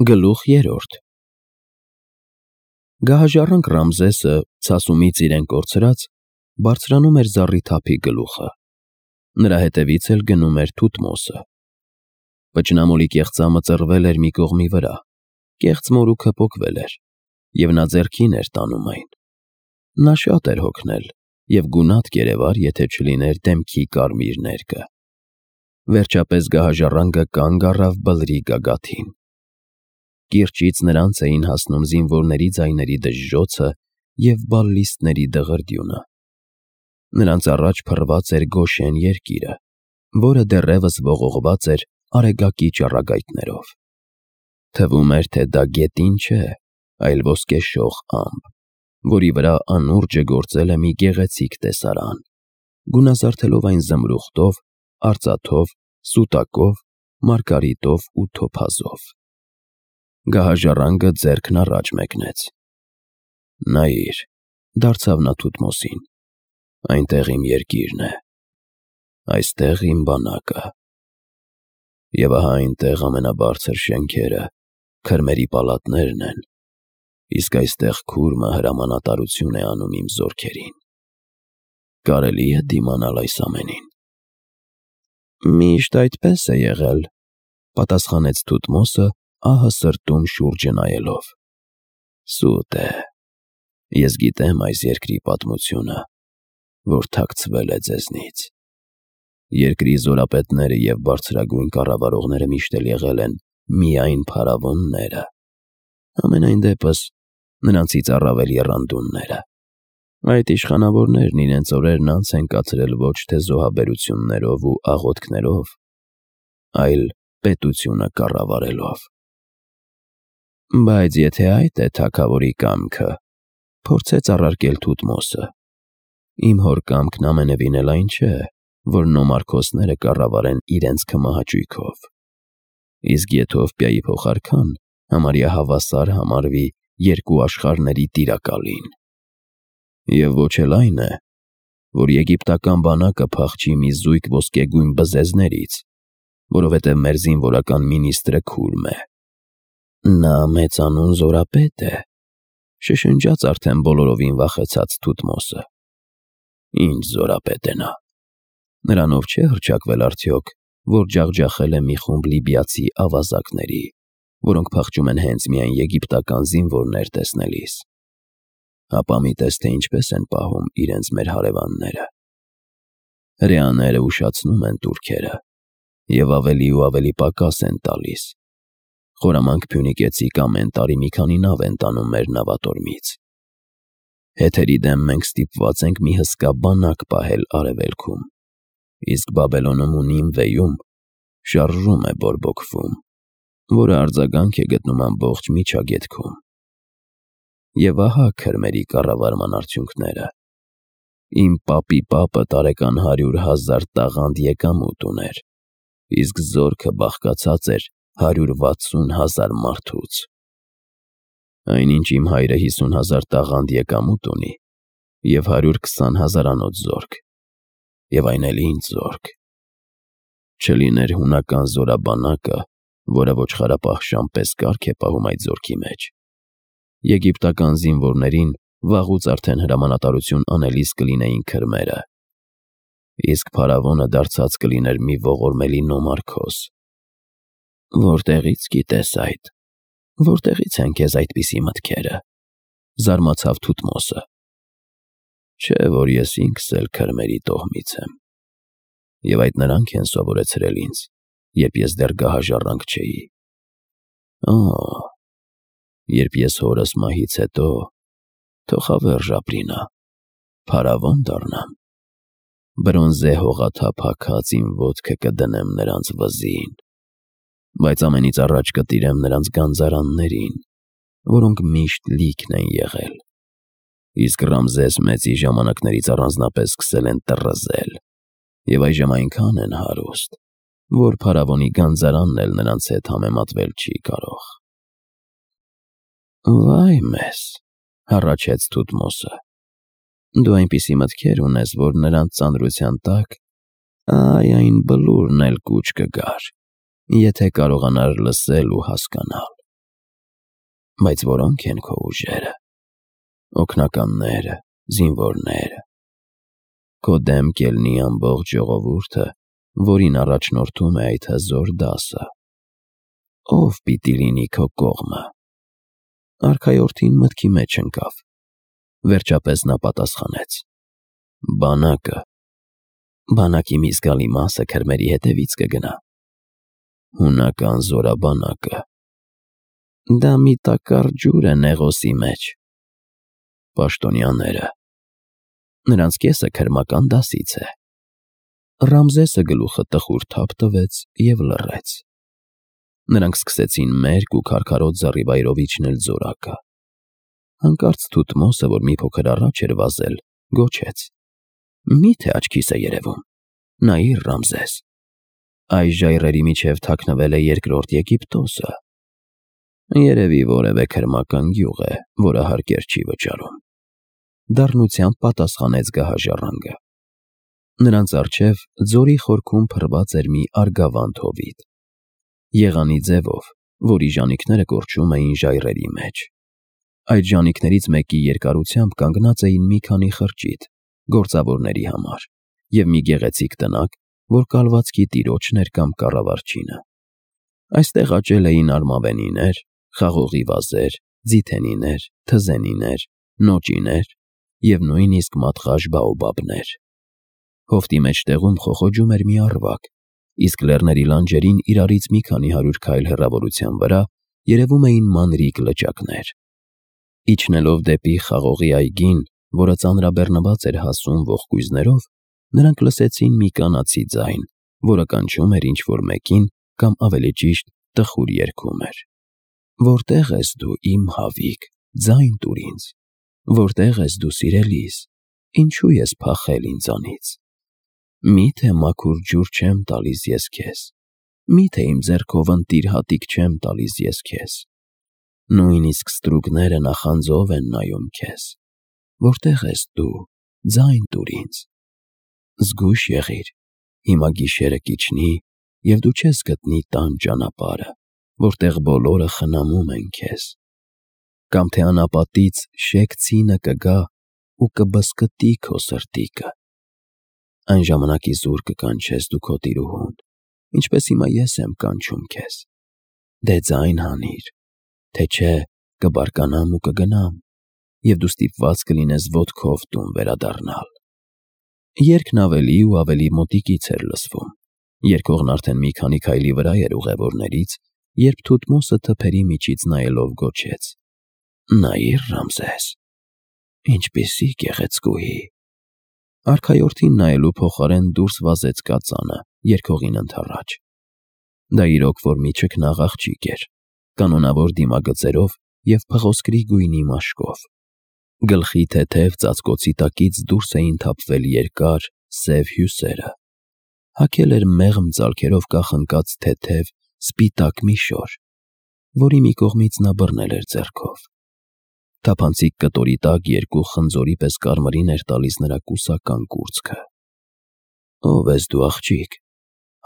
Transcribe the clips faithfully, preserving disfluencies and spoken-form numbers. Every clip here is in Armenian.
Գլուխ երրորդ Գահաժառանգ Ռամզեսը, ցասումից իրեն կորցրած, բարձրանում էր զառիթափի գլուխը, նրա հետևից էլ գնում էր Թութմոսը։ Պճնամոլի կեղծամը ծռվել էր մի կողմի վրա, կեղծ մորուքը պոկվել էր, և նա ձեռքին էր տանում այն։ Նա շատ էր հոգնել, և գունատ կերևար, եթե չլիներ դեմքի կարմիր ներկը։ Վերջապես գահաժառանգը կանգ առավ բլրի գագաթին։ Կիրճից նրանց էին հասնում զինվորների ձայների դժժոցը և բալլիստների դղրդյունը։ Նրանց առաջ փռված էր Գոշեն երկիրը, որը դեռևս ողողված էր արեգակի ճառագայթներով։ Թվում էր, թե դա գետին չէ, այլ ոսկեշող ամպ, որի վրա անուրջը գործել է մի գեղեցիկ տեսարան, գունազարդելով այն զմրուխտով, արծաթով, սուտակով, մարգարիտով ու թոփազով։ Գահաժառանգը ձեռքն առաջ մեկնեց։ Նայիր, դարձավ նա Թութմոսին, այնտեղ իմ երկիրն է, այստեղ իմ բանակը։ Եվ ահա այնտեղ ամենաբարձր շենքերը, քրմերի պալատներն են, իսկ այստեղ քուրմը հրամանատարություն է անում իմ զորքերին։ Կարելի՞ է դիմանալ այս ամենին։ Միշտ այդպես է եղել, պատասխանեց Թութմոսը, ահը սրտում շուրջը նայելով։ Սուտ է, ես գիտեմ այս երկրի պատմությունը, որ թաքցվել է ձեզնից։ Երկրի զորապետները և բարձրագույն կառավարողները միշտ էլ եղել են միայն փարավոնները, համենայն դեպս նրանցից առավել եռանդունները։ Այդ իշխանավորներն իրենց օրերն անց են կացրել ոչ թե զոհաբերություններով ու աղոթքներով, այլ պետությունը կառավարելով։ Բայց եթե այդ է թագավորի կամքը, փորձեց առարկել Թութմոսը, իմ հոր կամքն ամենևին էլ այն չէ, որ նոմարքոսները կառավարեն իրենց քմահաճույքով, իսկ Եթովպիայի փոխարքան համարյա հավասար համարվի երկու աշխարհների տիրակալին։ Եվ ոչ էլ այն է, որ եգիպտական բանակը փախչի մի զույգ ոսկեգույն բզեզներից, որովհետև մեր զինվորական մինիստրը քուրմ է։ Նա մեծանուն զորապետ է, շշնջաց արդեն բոլորովին վախեցած Թութմոսը։ Ինչ զորապետ է նա։ Նրանով չէ հռչակվել արդյոք, որ ջախջախել է մի խումբ լիբիացի ավազակների, որոնք փախչում են հենց միայն եգիպտական զինվորներ տեսնելիս։ Հապա մի տես, թե ինչպես են պահում իրենց մեր հարևանները։ Հրեաները ուշացնում են տուրքերը և ավելի ու ավելի պակաս են տալիս։ Խորամանկ Փյունիկեցիք ամեն տարի մի քանի նավ են տանում մեր նավատորմից։ Հեթերի դեմ մենք ստիպված ենք մի հսկա բանակ պահել արևելքում, իսկ Բաբելոնում ու Նինվեում շարժում է բորբոքվում, որը արձագանք է գտնում ամբողջ միջագետքում։ Եվ ահա քրմերի կառավարման արդյունքները։ Իմ պապի պապը տարեկան հարյուր հազար տաղանդ եկամուտ ուներ, իսկ զորքը բաղկացած էր հարյուր վաթսուն հազար մարդուց։ Այնինչ իմ հայրը հիսուն հազար տաղանդ եկամուտ ունի և հարյուր քսան հազարանոց զորք, և այն էլ ինձ զորք։ Չլիներ հունական զորաբանակը, որը ոչխարապահ պես կարգ է պահում այդ զորքի մեջ, եգիպտական զինվորներին վաղուց արդեն հրամանատարություն անելիս կլինեին քրմերը, իսկ փարավոնը դարձած կլիներ մի ողորմելի նոմարքոս։ Որտեղի՞ց գիտես այդ, որտեղի՞ց են քեզ այդպիսի մտքերը, զարմացավ Թութմոսը։ Չէ՞ որ ես ինքս էլ քրմերի տոհմից եմ, և այդ նրանք են սովորեցրել ինձ, երբ ես դեռ գահաժառանգ չէի։ Օ՜, երբ ես հորս մահից հետո, թող հավերժ ապրի նա, փարավոն դառնամ, բրոնզե հողաթափ հագած իմ ոտքը կդնեմ նրանց վզին, բայց ամենից առաջ կտիրեմ նրանց գանձարաններին, որոնք միշտ լիքն են եղել, իսկ Ռամզես մեծի ժամանակներից առանձնապես սկսել են տռզել, և այժմ այնքան են հարուստ, որ փարավոնի գանձարանն էլ նրանց հետ համեմատվել չի կարող։ Վայ մեզ, հառաչեց Թութմոսը, դու այնպիսի մտքեր ունես, որ նրանց ծանրության տակ, այ այն բլուրն էլ կուչ կգար, եթե կարողանար լսել ու հասկանալ։ Բայց որոնք են քո ուժերը, օգնականները, զինվորները, քո դեմ կելնի ամբողջ ժողովուրդը, որին առաջնորդում է այդ հզոր դասը, ով պիտի լինի քո կողմը։ Արքայորդին մտքի մեջ ընկավ, վերջապես նա պատասխանեց. բանակը, բանակի մի զգալի մասը քրմերի հետևից կգնա, հունական զորաբանակը, դա մի տակառ ջուր է Նեղոսի մեջ, պաշտոնյաները, նրանց կեսը քրմական դասից է։ Ռամզեսը գլուխը տխուր թափ տվեց և լռեց։ Նրանք սկսեցին մերկ ու քարքարոտ զառիվայրով իջնել զորակը։ Հանկարծ Թութմոսը, որ մի փոքր առաջ էր վազել, գոչեց. «Մի՞թե աչքիս է երևում, նայիր, Ռամզես, այս ժայռերի միջև թաքնվել է երկրորդ Եգիպտոսը։ Երևի որևէ քրմական գյուղ է, որը հարկեր չի վճարում», դառնությամբ պատասխանեց գահաժառանգը։ Նրանց առջև ձորի խորքում փռված էր մի արգավանդ հովիտ, եղանի ձևով, որի ժանիքները կորչում էին ժայռերի մեջ։ Այդ ժանիքներից մեկի երկարությամբ կանգնած էին մի քանի խրճիթ, գործավորների համար, և մի գեղեցիկ տնակ, որ կալվածքի տիրոջն էր կամ կառավարչինը։ Այստեղ աճել էին արմավենիներ, խաղողի վազեր, ձիթենիներ, թզենիներ, նոճիներ և նույնիսկ մատղաշ բաոբաբներ։ Հովտի մեջտեղում խոխոջում էր մի առվակ, իսկ լեռների լանջերին իրարից մի քանի հարյուր քայլ հեռավորության վրա երևում էին մանրիկ լճակներ։ Իջնելով դեպի խաղողի այգին, որը ծանրաբեռնված էր հասուն ողկույզներով, նրանք լսեցին մի կանացի ձայն, որը կանչում էր ինչ-որ մեկին կամ ավելի ճիշտ տխուր երգում էր. «Որտե՞ղ ես դու, իմ հավիկ, ձայն տուր ինձ, որտե՞ղ ես դու, սիրելիս, ինչու ես փախել ինձանից։ Մի՞թե մաքուր ջուր չեմ տալիս ես քեզ, մի՞թե իմ ձեռքով ընտիր հատիկ չեմ տալիս ես քեզ։ Նույնիսկ ստրուկները նախանձով են նայում քեզ, որտե՞ղ ես դու, ձայն տուր ինձ։ Զգույշ եղիր, հիմա գիշերը կիջնի, և դու չես գտնի տան ճանապարհը, որտեղ բոլորը խնամում են քեզ։ Կամ թե անապատից շեկ ցինը կգա ու կբզկտի քո սրտիկը։ Այն ժամանակ իզուր կկանչես դու քո տիրուհուն, ինչպես հիմա ես եմ կանչում քեզ։ Դե ձայն հանիր, թե չէ կբարկանամ ու կգնամ, և դու ստիպված կլինես ոտքով տուն վերադառնալ»։ Երգն ավելի ու ավելի մոտիկից էր լսվում։ Երգողն արդեն մի քանի քայլի վրա էր ուղևորներից, երբ Թութմոսը թփերի միջից նայելով գոչեց. «Նայիր, Ռամզես, ինչպիսի գեղեցկուհի»։ Արքայորդին նայելու փոխարեն դուրս վազեց կածանը, երգողին ընդառաջ։ Դա իրոք որ մի չքնաղ աղջիկ էր, կանոնավոր դիմագծերով և փղոսկրի գույնի մաշկով։ Գլխի թեթև ծածկոցի տակից դուրս էին թափվել երկար, սև հյուսերը։ Հագել էր մեղմ ծալքերով կախնկած թեթև, սպիտակ մի շոր, որի մի կողմից նա բռնել էր ձեռքով։ Թափանցիկ կտորի տակ երկու խնձորի պես կարմիրին էր տալիս նրա կուսական կուրծքը։ «Ո՞վ ես դու, աղջիկ»,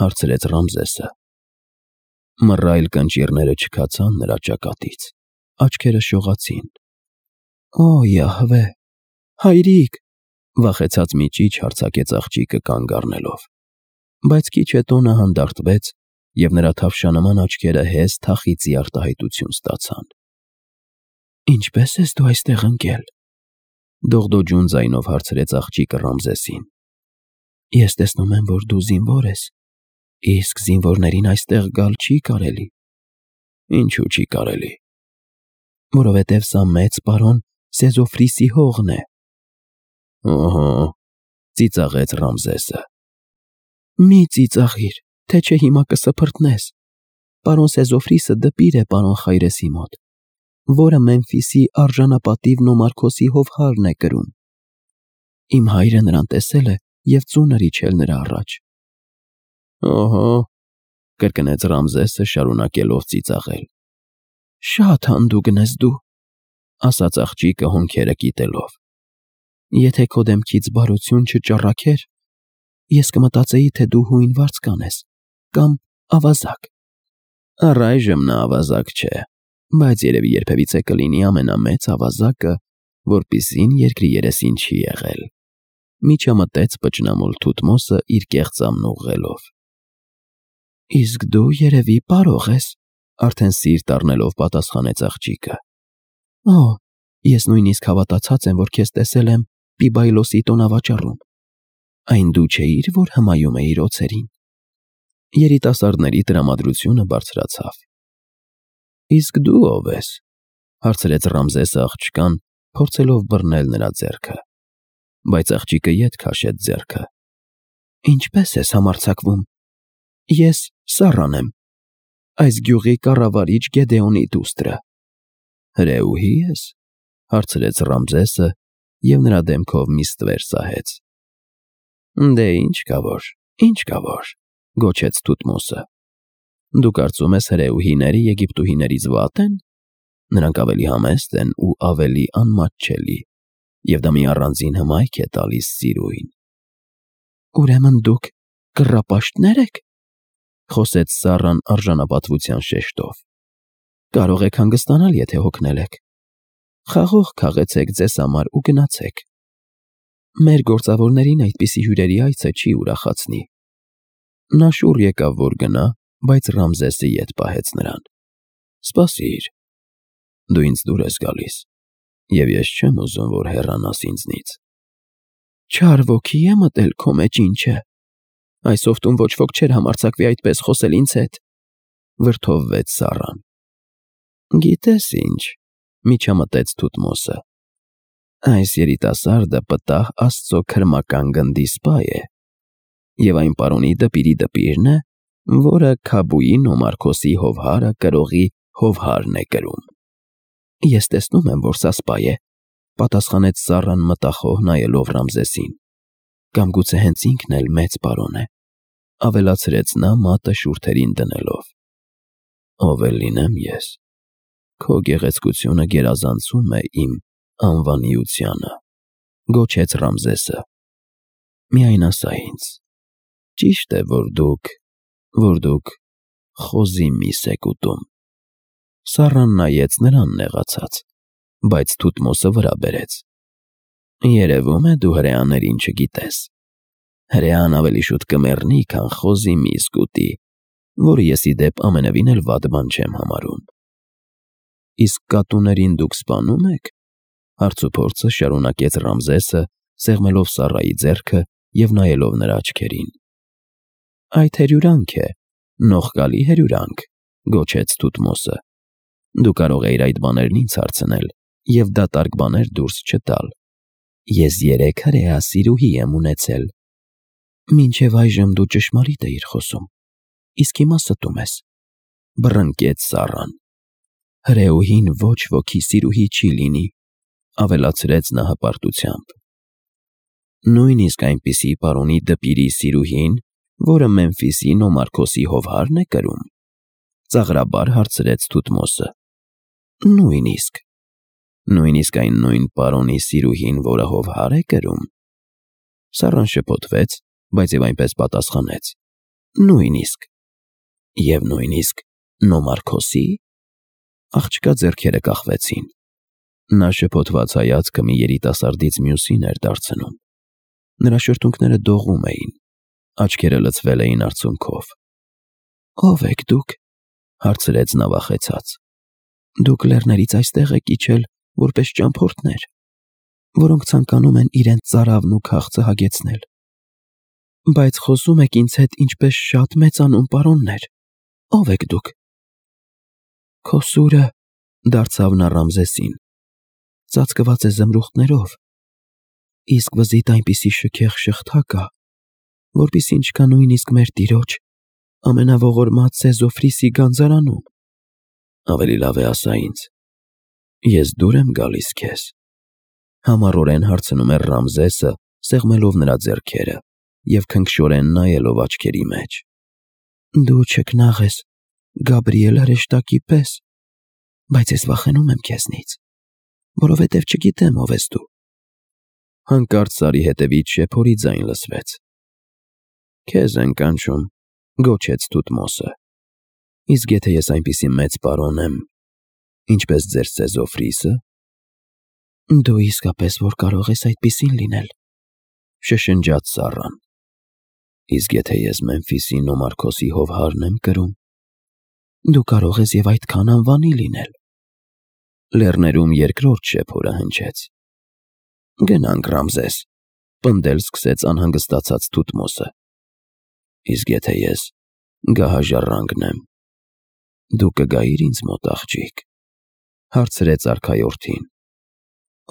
հարցրեց Ռամզեսը։ Մռայլ կնճիռները չքացան նրա ճակատից, աչքերը շողացին։ «Օ, Յահվե, հայրիկ», վախեցած մի ճիչ հարձակեց աղջիկը կանգ առնելով։ Բայց քիչ հետո նա հանդարտվեց, և նրա թավշանման աչքերը հեզ թախիծի արտահայտություն ստացան։ «Ինչպե՞ս ես դու այստեղ ընկել», դողդոջուն ձայնով հարցրեց աղջիկը Ռամզեսին։ «Ես տեսնում եմ, որ դու զինվոր ես, իսկ զինվորներին այստեղ գալ չի կարելի»։ «Ինչու չի կարելի»։ «Որովհետև սա մեծ պարոն Սեզոֆրիսի հողն է»։ «Օհո», ծիծաղեց Ռամզեսը։ «Մի ծիծաղիր, թե չէ հիմա կսփռտնես։ Պարոն Սեզոֆրիսը դպիր է պարոն Խայրեսի մոտ, որը Մեմֆիսի արժանապատիվ Նոմարքոսի հովհարն է կրում։ Իմ հայրը նրան տեսել է և ծունր իջել նրա առաջ»։ «Օհո», կրկնեց Ռամզեսը, շարունակելով ծիծաղել։ «Շատ հանդուգն ես դու», ասաց աղջիկը հոնքերը կիտելով։ «Եթե քո դեմքից բարություն չճառագեր, ես կմտածեի, թե դու հույն վարձկան ես կամ ավազակ»։ «Առայժմ նա ավազակ չէ, բայց երևի երբևիցե կլինի ամենամեծ ավազակը, որպիսին երկրի երեսին չի եղել։ Միջամտեց պճնամոլ Թութմոսը իր կեղծամն ուղղելով։ Իսկ դու երևի պարող ես, արդեն սիրտ առնելով պատասխանեց աղջիկը։ Օ, ես նույնիսկ հավատացած եմ, որ քեզ տեսել եմ Պիբայլոսի տոնավաճառում։ Այն դու չէիր, որ հմայում էիր օձերին։ Երիտասարդների տրամադրությունը բարձրացավ։ Իսկ դու ով ես, հարցրեց Ռամզեսը աղջկան, փորձելով բռնել նրա ձեռքը, բայց աղջիկը ետ քաշեց ձեռքը։ Ինչպես ես համարձակվում։ Ես Սառան եմ, այս գյուղի կառավարիչ Գեդեոնի դուստրը։ Հրեուհի ես, հարցրեց Ռամզեսը և նրա դեմքով մի ստվեր սահեց։ Դե ինչ կա որ, ինչ կա որ, գոչեց Թութմոսը։ Դու կարծում ես հրեուհիները Եգիպտուհիներից վատ են։ Նրանք ավելի համեստ են ու ավելի անմատչելի, և դա մի առանձին հմայք է տալիս սիրուհին։ Ուրեմն դուք կռապաշտնե՞ր եք, խոսեց Սառան արժանապատվության շեշտով։ Կարող եք հանգստանալ, եթե հոգնել եք։ Խաղող քաղեցեք ձեզ համար ու գնացեք։ Մեր գործավորներին այդպիսի հյուրերի այցը չի ուրախացնի։ Նա շուռ եկավ, որ գնա, բայց Ռամզեսը ետ պահեց նրան։ Սպասիր, դու ինձ դուր ես գալիս, և ես չեմ ուզում, որ հեռանաս ինձնից։ Չար ոգի է մտել քո մեջ, ինչ է։ Այս օգտում ոչ ոք չէր համարձակվի այդպես խոսել ինձ հետ, վրդովվեց Սառան։ Գիտես ինչ, միջամտեց Թութմոսը։ Այս երիտասարդը պտահ Աստծո քրմական գնդի սպա է, և այն պարոնի դպիրի դպիրն է, որը Քաբուի Նոմարքոսի հովհարը կրողի հովհարն է կրում։ Ես տեսնում եմ, որ սա սպա է, պատասխանեց Սառան մտախոհ նայելով Ռամզեսին։ Կամ գուցե հենց ինքն էլ մեծ պարոն է, ավելացրեց նա մատը շուրթերին դնելով։ Ով էլ լինեմ ես, քո գեղեցկությունը գերազանցում է իմ անվանիությանը, գոչեց Ռամզեսը։ Միայն ասա ինձ, ճի՞շտ է, որ դուք, որ դուք խոզի միս եք ուտում։ Սառան նայեց նրան նեղացած, բայց Թութմոսը վրա բերեց։ Երևում է դու հրեաներին չգիտես։ Հրեան ավելի շուտ կմեռնի, քան խոզի միս կուտի, որը ես ի դեպ ամենևին էլ վատ բան չեմ համարում։ Իսկ կատուներին դուք սպանում եք, հարցուփորձը շարունակեց Ռամզեսը, սեղմելով Սառայի ձեռքը և նայելով նրա աչքերին։ Այդ հերյուրանք է, նողկալի հերյուրանք, գոչեց Թութմոսը։ Դու կարող էիր այդ բաներն ինձ հարցնել և դատարկ բաներ դուրս չտալ։ Ես երեք հրեա սիրուհի եմ ունեցել։ Մինչև այժմ դու ճշմարիտ էիր խոսում, իսկ հիմա ստում ես, բռնկեց Սառան։ Հրեուհին ոչ ոքի սիրուհի չի լինի, ավելացրեց նա հպարտությամբ։ Նույնիսկ այնպիսի պարոնի դպիրի սիրուհին, որը Մեմֆիսի Նոմարքոսի հովհարն է կրում, ծաղրաբար հարցրեց Թութմոսը։ Նույնիսկ։ Նույնիսկ այն նույն պարոնի սիրուհին, որը հովհար է կրում։ Սառան շփոթվեց, բայց և այնպես պատասխանեց. Նույնիսկ։ Եվ նույնիսկ Նոմարքոսի։ Աղջկա ձեռքերը կախվեցին։ Նա շփոթված հայացքը մի երիտասարդից մյուսին էր դարձնում։ Նրա շրթունքները դողում էին, աչքերը լցվել էին արցունքով։ Ո՞վ եք դուք, հարցրեց նա վախեցած։ Դուք լեռներից այստեղ եք իջել որպես ճամփորդներ, որոնք ցանկանում են իրենց ծարավն ու քաղցը հագեցնել։ Բայց խոսում եք ինձ հետ ինչպես շատ մեծանուն պարոններ։ Ո՞վ եք դուք։ Քո սուրը, դարձավ նա Ռամզեսին, ծածկված է զմրուխտներով, իսկ վզիդ այնպիսի շքեղ շղթա կա, որպիսին չկա նույնիսկ մեր տիրոջ ամենաողորմած Սեզոֆրիսի գանձարանում։ Ավելի լավ է ասա ինձ, ես դուր եմ գալիս քեզ, համառորեն հարցնում էր Ռամզեսը, սեղմելով նրա ձեռքերը և քնքշորեն նայելով աչքերի մեջ։ Դու չքնաղ ես Գաբրիել հրեշտակի պես, բայց ես վախենում եմ քեզնից, որովհետև չգիտեմ ով ես դու։ Հանկարծ Սարի հետևից շեփորի ձայն լսվեց։ Քեզ են կանչում, գոչեց Թութմոսը։ Իսկ եթե ես այնպիսի մեծ պարոն եմ, Ինչպես ձեր սեզով ռիսը։ Դու իսկապես որ կարող ես այդպիսին լինել, շշնջաց ծառան։ Իսկ եթե ես Մեմֆիսի Նոմարքոսի հովհարն եմ կրում։ Դու կարող ես եւ այդքան անվանի լինել։ Լեռներում երկրորդ շեփորը հնչեց։ Գնանք, Ռամզես, պնդել սկսեց անհանգստացած Թութմոսը։ Իսկ եթե ես գահաժառանգն եմ, դու կգայիր ինձ մոտ, աղջիկ, հարցրեց արքայորդին։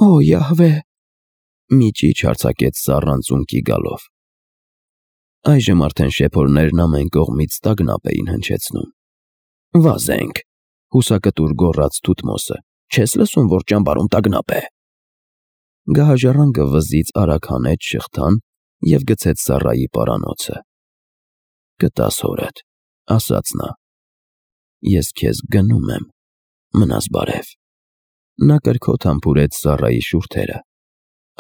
Օ, Յահվե, մի ճիչ հարձակեց ծառան ծունկի գալով։ Այժմ արդեն շեփորներն ամեն կողմից տագնապ էին հնչեցնում։ Վազենք, հուսակտուր գոռաց Թութմոսը, չես լսում, որ ճամբարում տագնապ է։ Գահաժառանգը վզից արագ հանեց շղթան և գցեց ծառայի պարանոցը։ Կտաս հորդ, ասաց նա։ Ես քեզ գնում եմ, մնաս բարև։ Նա կրքոտ համբուրեց ծառայի շուրթերը։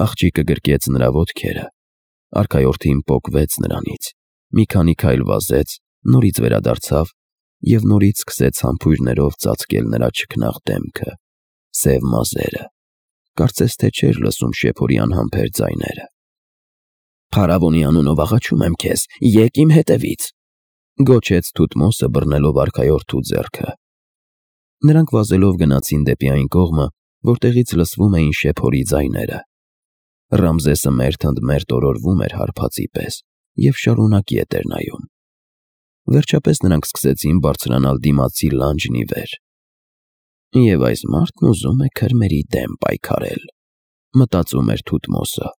Աղջիկը գրկեց նրա ոտքերը։ Արքայորդին պոկվեց նրանից, մի քանի քայլ վազեց, նորից վերադարձավ և նորից սկսեց համբույրներով ծածկել նրա չքնաղ դեմքը, սև մազերը, կարծես թե չէր լսում շեփորի անհամբեր ձայները։ Փարավոնի անունով աղաչում եմ քեզ, եկ իմ հետևից, գոչեց Թութմոսը բռնելով արքայորդու ձեռքը։ Նրանք վազելով գնացին դեպի այն կողմը, որտեղից լսվում էին շեփորի ձայները։ Ռամզեսը մերթ ընդ մերթ օրորվում էր հարբածի պես և շարունակ ետ էր նայում։ Վերջապես նրանք սկսեցին բարձրանալ դիմացի լանջն ի վեր։ Եվ այս մարդն ուզում է քրմերի դեմ պայքարել, մտածում էր Թութմոսը։